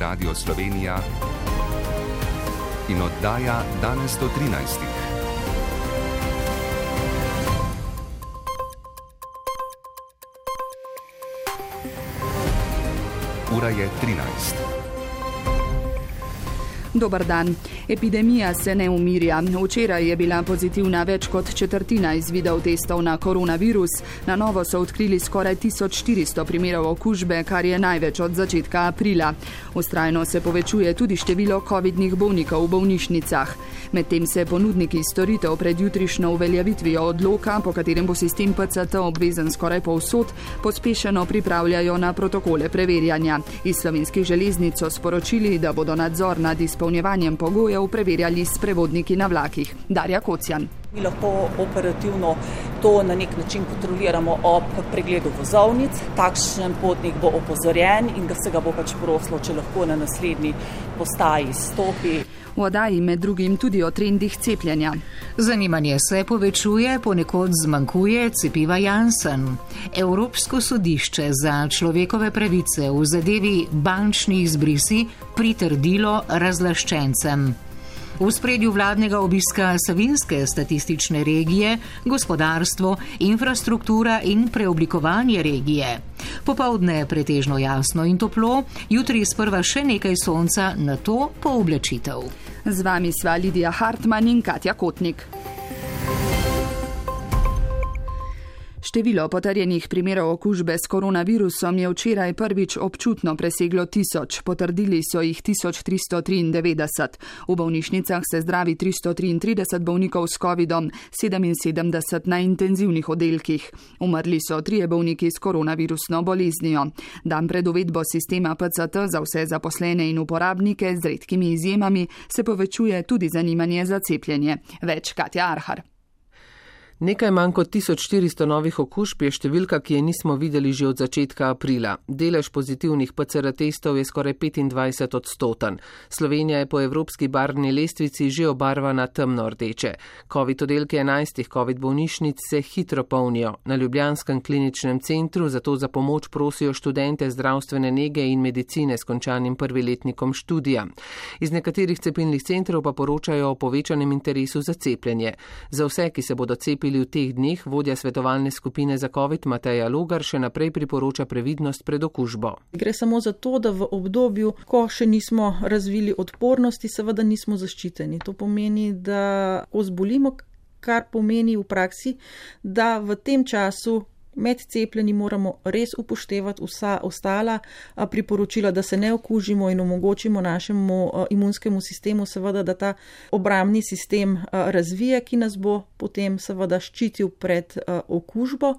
Radio Slovenija in oddaja Danes do 13. Ura je 13. Dobar dan. Epidemija se ne umirja. Včeraj je bila pozitivna več kot četrtina izvidov testov na koronavirus. Na novo so odkrili skoraj 1400 primerov okužbe, kar je največ od začetka aprila. Vztrajno se povečuje tudi število covidnih bolnikov v bolnišnicah. Medtem se ponudniki storitev pred jutrišnjo uveljavitvijo odloka, po katerem bo sistem PCT obvezen skoraj povsod, pospešeno pripravljajo na protokole preverjanja. Iz Slovenskih železnic so sporočili, da bodo nadzor nad izpolnjevanjem pogojev preverjali s prevodniki na vlakih. Darja Kocjan. Mi lahko operativno to na nek način kontroliramo ob pregledu vozovnic. Takšen potnik bo opozorjen in da se ga bo prosilo, če lahko na naslednji postaji stopi. V oddaji med drugim tudi o trendih cepljenja. Zanimanje se povečuje, ponekod zmanjkuje cepiva Janssen. Evropsko sodišče za človekove pravice v zadevi bančnih izbrisi pritrdilo razlaščencem. V spredju vladnega obiska Savinjske statistične regije, gospodarstvo, infrastruktura in preoblikovanje regije. Popoldne pretežno jasno in toplo, jutri sprva še nekaj sonca, nato pooblačitev. Z vami sva Lidija Hartman in Katja Kotnik. Število potrjenih primerov okužbe s koronavirusom je včeraj prvič občutno preseglo 1000, potrdili so jih 1393. V bolnišnicah se zdravi 333 bolnikov s covidom, 77 na intenzivnih oddelkih. Umrli so 3 bolniki s koronavirusno boleznijo. Dan pred uvedbo sistema PCT za vse zaposlene in uporabnike z redkimi izjemami se povečuje tudi zanimanje za cepljenje. Več Katja Arhar. Nekaj manj kot 1400 novih okužb je številka, ki je nismo videli že od začetka aprila. Delež pozitivnih PCR testov je skoraj 25%. Slovenija je po evropski barvni lestvici že obarvana temno rdeče. Covid oddelki 11 covid bolnišnic se hitro polnijo. Na ljubljanskem kliničnem centru zato za pomoč prosijo študente zdravstvene nege in medicine s končanim prviletnikom študija. Iz nekaterih cepilnih centrov pa poročajo o povečanem interesu za cepljenje. Za vse, ki se bodo cepili v teh dneh, vodja svetovalne skupine za COVID Mateja Logar še naprej priporoča previdnost pred okužbo. Gre samo za to, da v obdobju, ko še nismo razvili odpornosti, seveda nismo zaščiteni. To pomeni, da ko zbolimo, kar pomeni v praksi, da v tem času med cepljenji moramo res upoštevati vsa ostala priporočila, da se ne okužimo in omogočimo našemu imunskemu sistemu, seveda, da ta obrambni sistem razvije, ki nas bo potem seveda ščitil pred okužbo.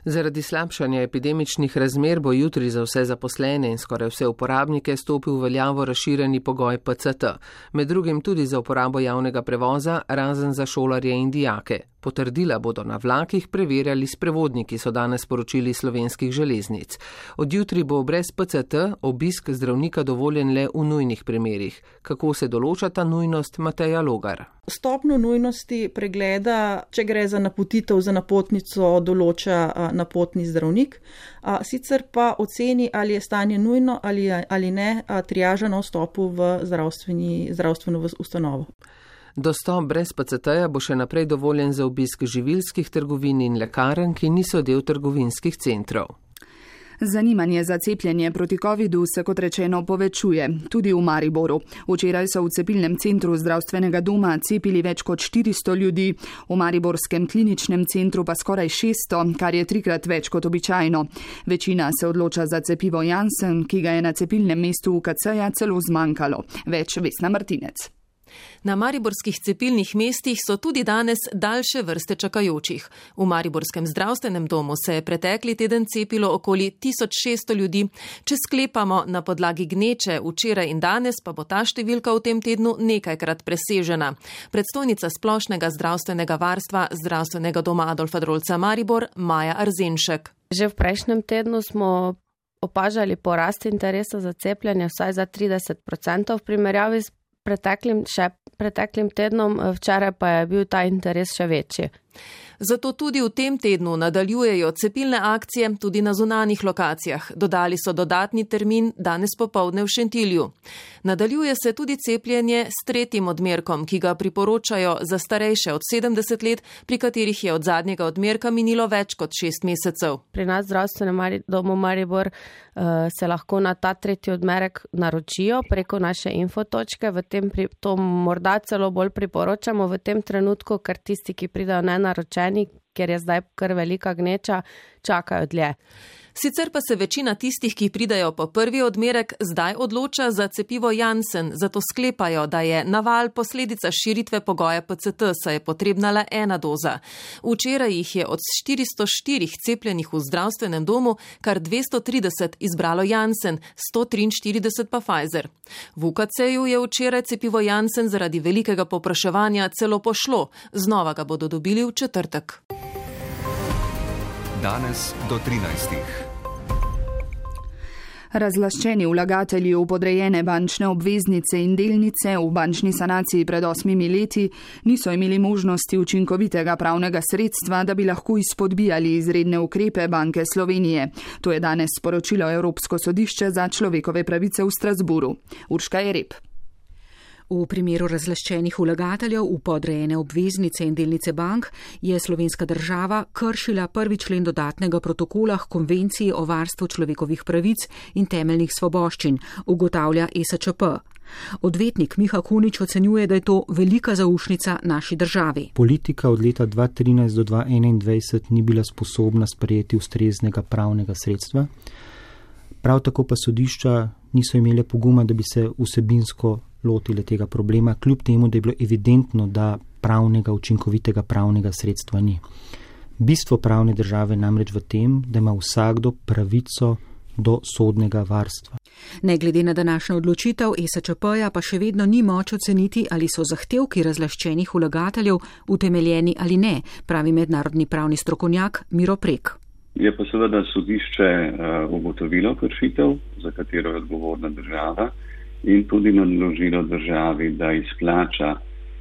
Zaradi slabšanja epidemičnih razmer bo jutri za vse zaposlene in skoraj vse uporabnike stopil v veljavo razširjeni pogoj PCT, med drugim tudi za uporabo javnega prevoza, razen za šolarje in dijake. Potrdila bodo na vlakih preverjali s prevodniki, so danes sporočili Slovenskih železnic. Od jutri bo brez PCT obisk zdravnika dovoljen le v nujnih primerih. Kako se določa ta nujnost, Mateja Logar? Stopnjo nujnosti pregleda, če gre za napotitev za napotnico, določa napotni zdravnik. Sicer pa oceni, ali je stanje nujno ali ne, triaža na vstopu v zdravstveno ustanovo. Dostop brez PCT-ja bo še naprej dovoljen za obisk živilskih trgovin in lekarn, ki niso del trgovinskih centrov. Zanimanje za cepljenje proti covidu se, kot rečeno, povečuje, tudi v Mariboru. Včeraj so v cepilnem centru zdravstvenega doma cepili več kot 400 ljudi, v mariborskem kliničnem centru pa skoraj 600, kar je 3-krat več kot običajno. Večina se odloča za cepivo Janssen, ki ga je na cepilnem mestu UKC-ja celo zmanjkalo. Več Vesna Martinec. Na mariborskih cepilnih mestih so tudi danes daljše vrste čakajočih. V mariborskem zdravstvenem domu se je pretekli teden cepilo okoli 1600 ljudi. Če sklepamo na podlagi gneče, včeraj in danes pa bo ta številka v tem tednu nekajkrat presežena. Predstojnica splošnega zdravstvenega varstva zdravstvenega doma Adolfa Drolca Maribor, Maja Arzenšek. Že v prejšnjem tednu smo opažali porast interesa za cepljenje vsaj za 30% v primerjavi s preteklim tednom, včeraj pa je bil ta interes še večji. Zato tudi v tem tednu nadaljujejo cepilne akcije tudi na zunanjih lokacijah. Dodali so dodatni termin danes popoldne v Šentilju. Nadaljuje se tudi cepljenje s 3. odmerkom, ki ga priporočajo za starejše od 70 let, pri katerih je od zadnjega odmerka minilo več kot 6 mesecev. Pri nas v zdravstvenem domu Maribor se lahko na ta 3. odmerek naročijo preko naše infotočke. To morda celo bolj priporočamo v tem trenutku, ker tisti, ki pridajo nenaročeni, ker je zdaj kar velika gneča, čakajo dlje. Sicer pa se večina tistih, ki pridajo po 1. odmerek, zdaj odloča za cepivo Janssen, zato sklepajo, da je naval posledica širitve pogoja PCT, saj je potrebna le 1 doza. Včeraj jih je od 404 cepljenih v zdravstvenem domu kar 230 izbralo Janssen, 143 pa Pfizer. V UKC-ju je včeraj cepivo Janssen zaradi velikega povpraševanja celo pošlo, znova ga bodo dobili v četrtek. Danes do 13. Razlaščeni vlagatelji v podrejene bančne obveznice in delnice v bančni sanaciji pred 8 leti niso imeli možnosti učinkovitega pravnega sredstva, da bi lahko izpodbijali izredne ukrepe Banke Slovenije. To je danes sporočilo Evropsko sodišče za človekove pravice v Strasburu. Urška Jereb. V primeru razlaščenih vlagateljev v podrejene obveznice in delnice bank je slovenska država kršila 1. člen dodatnega protokola k Konvenciji o varstvu človekovih pravic in temeljnih svoboščin, ugotavlja ESČP. Odvetnik Miha Kunič ocenjuje, da je to velika zaušnica naši državi. Politika od leta 2013 do 2021 ni bila sposobna sprejeti ustreznega pravnega sredstva. Prav tako pa sodišča niso imele poguma, da bi se vsebinsko lotile tega problema, kljub temu, da je bilo evidentno, da učinkovitega pravnega sredstva ni. Bistvo pravne države namreč v tem, da ima vsakdo pravico do sodnega varstva. Ne glede na današnjo odločitev ESČP-ja pa še vedno ni moč oceniti, ali so zahtevki razlaščenih vlagateljev utemeljeni ali ne, pravi mednarodni pravni strokovnjak Miro Prek. Je pa seveda sodišče ugotovilo kršitev, za katero je odgovorna država, in tudi naložilo državi, da izplača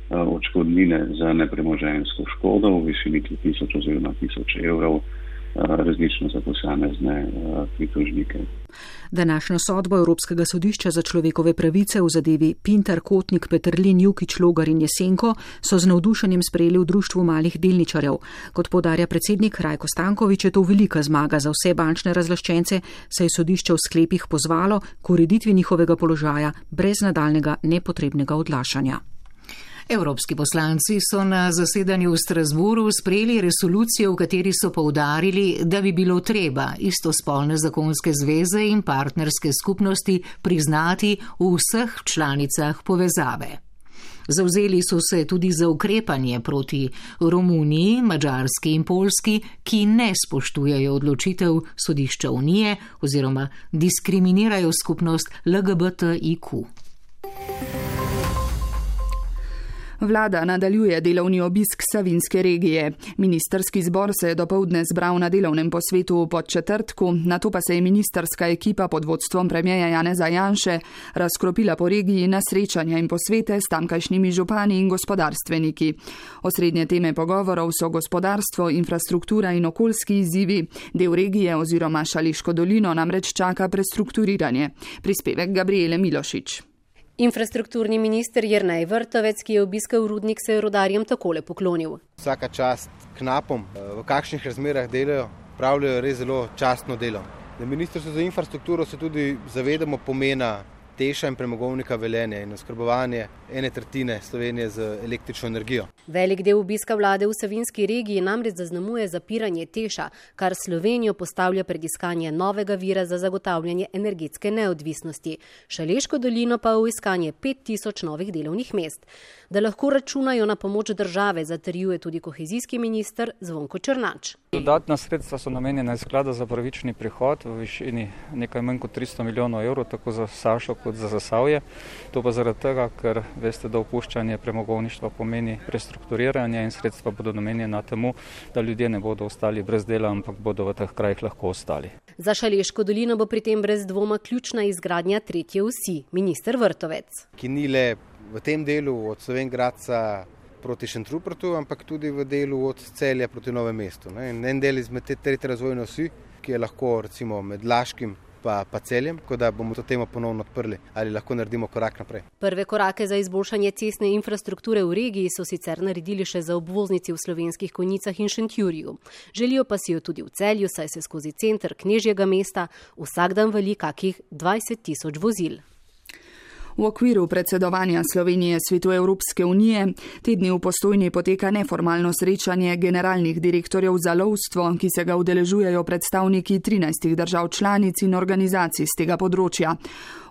odškodnine za nepremoženjsko škodo v višini 1000 oziroma 1000 evrov, različno za posamezne pritožnike. Današnjo sodbo Evropskega sodišča za človekove pravice v zadevi Pintar, Kotnik, Peterlin, Jukić, Logar in Jesenko so z navdušenjem sprejeli v Društvu malih delničarjev. Kot poudarja predsednik Rajko Stanković, je to velika zmaga za vse bančne razlaščence, saj je sodišče v sklepih pozvalo k ureditvi njihovega položaja brez nadaljnega nepotrebnega odlašanja. Evropski poslanci so na zasedanju v Strasburu sprejeli resolucijo, v kateri so poudarili, da bi bilo treba istospolne zakonske zveze in partnerske skupnosti priznati v vseh članicah povezave. Zavzeli so se tudi za ukrepanje proti Romuniji, Madžarski in Poljski, ki ne spoštujejo odločitev sodišča Unije oziroma diskriminirajo skupnost LGBTIQ. Vlada nadaljuje delovni obisk Savinjske regije. Ministerski zbor se je dopoldne zbral na delovnem posvetu v Podčetrtku, nato pa se je ministerska ekipa pod vodstvom premierja Janeza Janše razkropila po regiji na srečanja in posvete s tamkajšnjimi župani in gospodarstveniki. Osrednje teme pogovorov so gospodarstvo, infrastruktura in okoljski izzivi. Del regije oziroma Šaleško dolino namreč čaka prestrukturiranje. Prispevek Gabriele Milošič. Infrastrukturni minister Jernej Vrtovec, ki je obiskal rudnik, se je rudarjem takole poklonil. Vsaka čast knapom, v kakšnih razmerah delajo, pravljajo res zelo častno delo. Na Ministrstvu za infrastrukturo se tudi zavedamo pomena Teša in premogovnika Velenje in oskrbovanje 1/3 Slovenije z električno energijo. Velik del obiska vlade v Savinjski regiji namreč zaznamuje zapiranje Teša, kar Slovenijo postavlja pred iskanje novega vira za zagotavljanje energetske neodvisnosti. Šaleško dolino pa v iskanje 5000 novih delovnih mest. Da lahko računajo na pomoč države, zatrjuje tudi kohezijski minister Zvonko Černač. Dodatna sredstva so namenjena iz sklada za pravični prihod v višini nekaj manj kot 300 milijonov evrov, tako za Sašo kot za Zasavje. To pa zaradi tega, ker veste, da opuščanje premogovništva pomeni prestrukturiranje in sredstva bodo namenjena temu, da ljudje ne bodo ostali brez dela, ampak bodo v teh krajih lahko ostali. Za Šaleško dolino bo pri tem brez dvoma ključna izgradnja tretje osi, minister Vrtovec. Ki ni le v tem delu od Slovenj Gradca proti Šentrupertu, ampak tudi v delu od Celja proti Novemu mestu. En del izmed te tretje razvojne osi, ki je lahko recimo med Laškim pa Celjem, tako da bomo to temo ponovno odprli ali lahko naredimo korak naprej. Prve korake za izboljšanje cestne infrastrukture v regiji so sicer naredili še za obvoznici v Slovenskih Konjicah in Šentjurju. Želijo pa si jo tudi v Celju, saj se skozi center Knežjega mesta vsak dan vali kakih 20.000 vozil. V okviru predsedovanja Slovenije Svetu Evropske unije te dni v Postojni poteka neformalno srečanje generalnih direktorjev za lovstvo, ki se ga udeležujejo predstavniki 13 držav članic in organizacij z tega področja.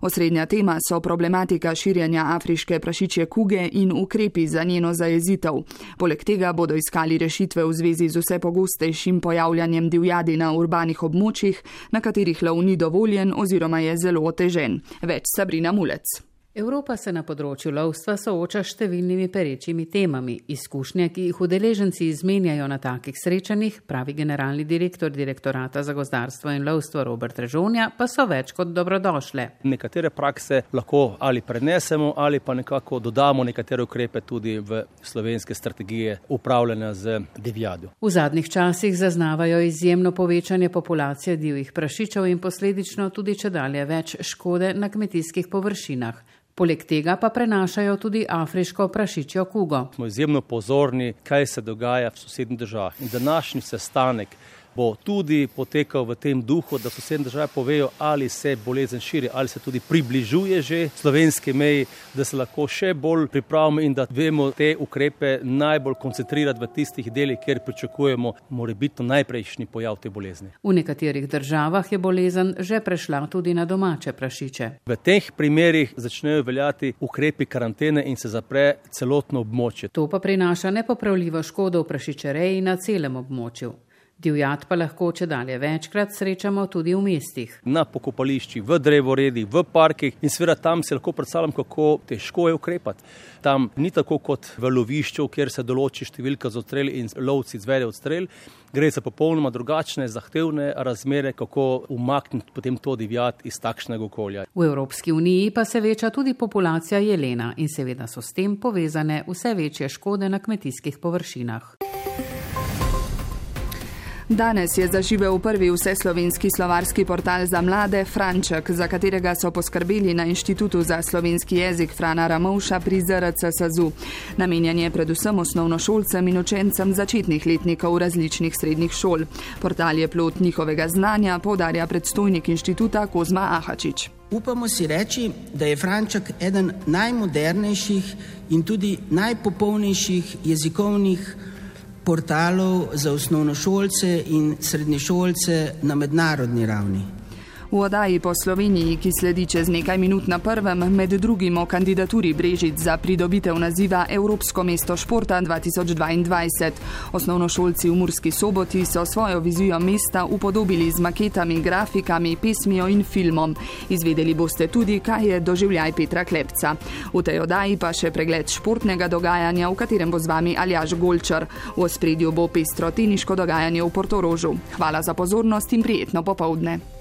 Osrednja tema so problematika širjenja afriške prašičje kuge in ukrepi za njeno zajezitev. Poleg tega bodo iskali rešitve v zvezi z vse pogostejšim pojavljanjem divjadi na urbanih območjih, na katerih lov ni dovoljen oziroma je zelo otežen. Več Sabrina Mulec. Evropa se na področju lovstva sooča s številnimi perečimi temami. Izkušnje, ki jih udeleženci izmenjajo na takih srečanjih, pravi generalni direktor Direktorata za gozdarstvo in lovstvo Robert Režonja, pa so več kot dobrodošle. Nekatere prakse lahko ali prenesemo ali pa nekako dodamo nekatere ukrepe tudi v slovenske strategije upravljanja z divjadjo. V zadnjih časih zaznavajo izjemno povečanje populacije divjih prašičev in posledično tudi čedalje več škode na kmetijskih površinah. Poleg tega pa prenašajo tudi afriško prašičjo kugo. Smo izjemno pozorni, kaj se dogaja v sosednjih državah. In današnji sestanek bo tudi potekal v tem duhu, da sosednje države povejo, ali se bolezen širi, ali se tudi približuje že slovenski meji, da se lahko še bolj pripravimo in da vemo te ukrepe najbolj koncentrirati v tistih delih, kjer pričakujemo morebitno najprejšnji pojav te bolezni. V nekaterih državah je bolezen že prešla tudi na domače prašiče. V teh primerih začnejo veljati ukrepi karantene in se zapre celotno območje. To pa prinaša nepopravljivo škodo v prašičereji na celem območju. Divjad pa lahko čedalje večkrat srečamo tudi v mestih. Na pokopališčih, v drevoredih, v parkih in seveda tam se lahko predstavljam, kako težko je ukrepati. Tam ni tako kot v lovišču, kjer se določi številka za odstrel in lovci izvedejo odstrel. Gre za popolnoma drugačne, zahtevne razmere, kako umakniti potem to divjad iz takšnega okolja. V Evropski uniji pa se veča tudi populacija jelena in seveda so s tem povezane vse večje škode na kmetijskih površinah. Danes je zaživel prvi vseslovenski slovarski portal za mlade Franček, za katerega so poskrbeli na Inštitutu za slovenski jezik Frana Ramovša pri ZRC SAZU. Namenjen je predvsem osnovnošolcem in učencem začetnih letnikov različnih srednjih šol. Portal je plod njihovega znanja, poudarja predstojnik inštituta Kozma Ahačič. Upamo si reči, da je Franček eden najmodernejših in tudi najpopolnejših jezikovnih portalov za osnovnošolce in srednješolce na mednarodni ravni. V oddaji po Sloveniji, ki sledi čez nekaj minut na prvem, med drugim o kandidaturi Brežic za pridobitev naziva Evropsko mesto športa 2022. Osnovnošolci v Murski Soboti so svojo vizijo mesta upodobili z maketami, grafikami, pesmijo in filmom. Izvedeli boste tudi, kaj je doživljaj Petra Klepca. V tej oddaji pa še pregled športnega dogajanja, v katerem bo z vami Aljaž Golčar. V ospredju bo pestro teniško dogajanje v Portorožu. Hvala za pozornost in prijetno popoldne.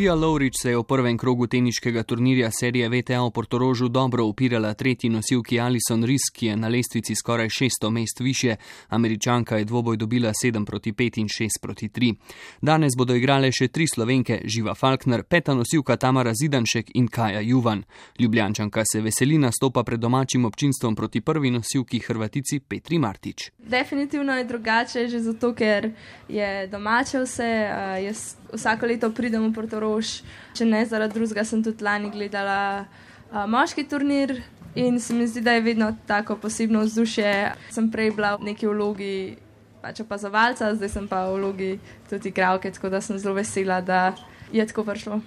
Pia Lovrič se je v prvem krogu teniškega turnirja serije WTA v Portorožu dobro upirala tretji nosilki Alison Risk, ki je na lestvici skoraj 600 mest više. Američanka je dvoboj dobila 7-5 in 6-3. Danes bodo igrale še 3 Slovenke, Živa Falkner, peta nosilka Tamara Zidanšek in Kaja Juvan. Ljubljančanka se veseli nastopa pred domačim občinstvom proti prvi nosilki Hrvatici Petri Martić. Definitivno je drugače, že zato, ker je domače vse. Jaz vsako leto pridem v Portorož, če ne zaradi drugega, sem tudi lani gledala moški turnir in se mi zdi, da je vedno tako posebno vzdušje. Sem prej bila v neki vlogi opazovalca, zdaj sem pa v vlogi tudi igralke, tako da sem zelo vesela, da je tako prišlo.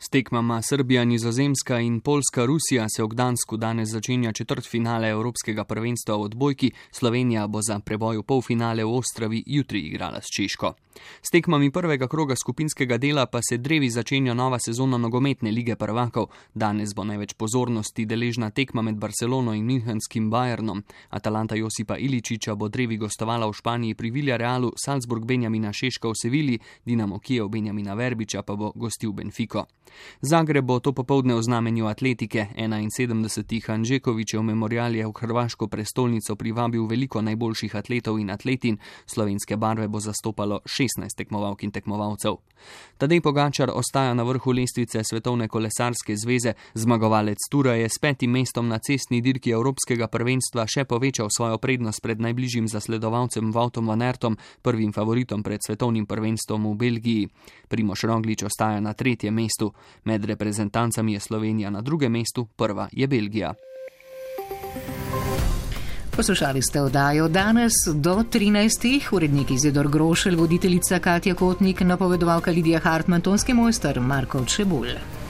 S tekmama Srbija, Nizozemska in Poljska Rusija se v Gdansku danes začenja četrtfinale Evropskega prvenstva v odbojki, Slovenija bo za preboj v polfinale v Ostravi jutri igrala s Češko. S tekmami prvega kroga skupinskega dela pa se drevi začenja nova sezona nogometne lige prvakov. Danes bo največ pozornosti deležna tekma med Barcelono in Münchenskim Bayernom. Atalanta Josipa Iličiča bo drevi gostovala v Španiji pri Villarealu, Salzburg Benjamina Šeška v Sevilji, Dinamo Kijev Benjamina Verbiča pa bo gostil Benfico. Zagreb bo to popoldne v znamenju atletike. 71. Hanžekovičev memorial je v hrvaško prestolnico privabil veliko najboljših atletov in atletin. Slovenske barve bo zastopalo 16 tekmovalk in tekmovalcev. Tadej Pogačar ostaja na vrhu lestvice Svetovne kolesarske zveze. Zmagovalec tura je s 5. mestom na cestni dirki Evropskega prvenstva še povečal svojo prednost pred najbližjim zasledovalcem Woutom van Aertom, prvim favoritom pred svetovnim prvenstvom v Belgiji. Primož Roglič ostaja na 3. mestu. Med reprezentancami je Slovenija na 2. mestu, prva je Belgija. Poslušali ste oddajo danes do 13. Urednik Izidor Grošelj, voditeljica Katja Kotnik, napovedovalka Lidija Hartmann, tonski mojster Marko Čebulj.